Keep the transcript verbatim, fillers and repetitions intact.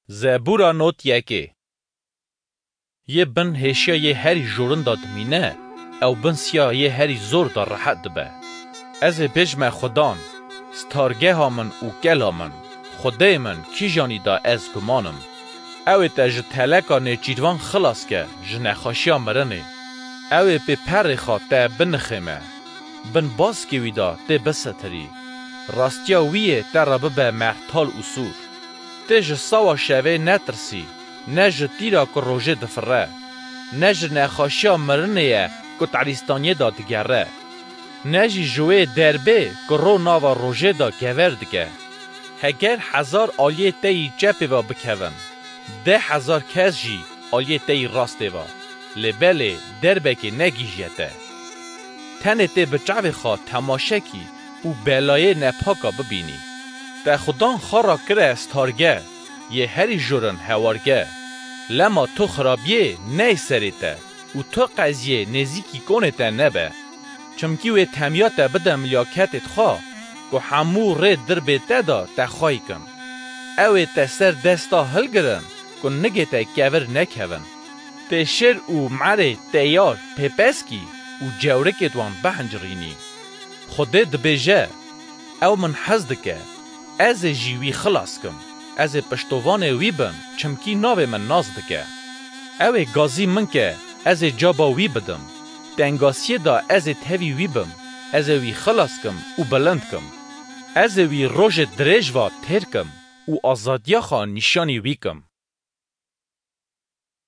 Zebûra not yekê. Yê bin hêşiya yê herî jorin de dimîne, ew bin siya yê herî zor de rehet dibe. Ez ê bêjime Xudan, stargeha min û kela min, Xwedê min, kîjanî de ez guman im. Ew ê te ji teleka nêçîrvan xilas ke, ji nexweşiya mirinê. Ew ê pê perê xwe te binixême. Bin baskê wî de tê bisetirî. Rastiya wî yê te re bibe mertal û sûr. Tê ji sawa şevê netirsî, ne ji tîra ku rojê difire, ne ji nexweşiya mirinê ye ku terîstaniyê de digere, ne jî ji wê derbê ku ro nava rojê de kever dike. Heger hezar aliyê te yî çepê ve bikevin, deh hezar kes jî aliyê te yî rastê ve, lê belê derbekê negihîje te. Tenê tê bi çavê xwe temaşe kî û belayê nepaka bibînî. Te Xudan xwe re kire starge, yê herî jorin hewarge. Lema tu xirabiyê ney serê te û tu qeziyê nêzîkî konê te nebe. Çimkî wê temiya te bide milyaketê xwe, ku hemû rê dirbê te de te xwey kin. Ew ê te ser desta hilgirin, ku nigê te kevir nekevin. Tê şêr û merê teyar pêpeskî û cewrikêd wan bihincirînî. Xwedê dibêje, Ew min hez dike, ez ê jî wî xilas kim. Ez ê piştovanê wî bim, çimkî navê min nas dike. Ew ê gazî min ke, ez ê caba wî bidim. Tengasiyê de ez ê tevî wî bim, ez ê wî xilas kim û bilind kim. Ez ê wî rojê dirêj ve têr kim û azadiya xwe nîşanî wî kim.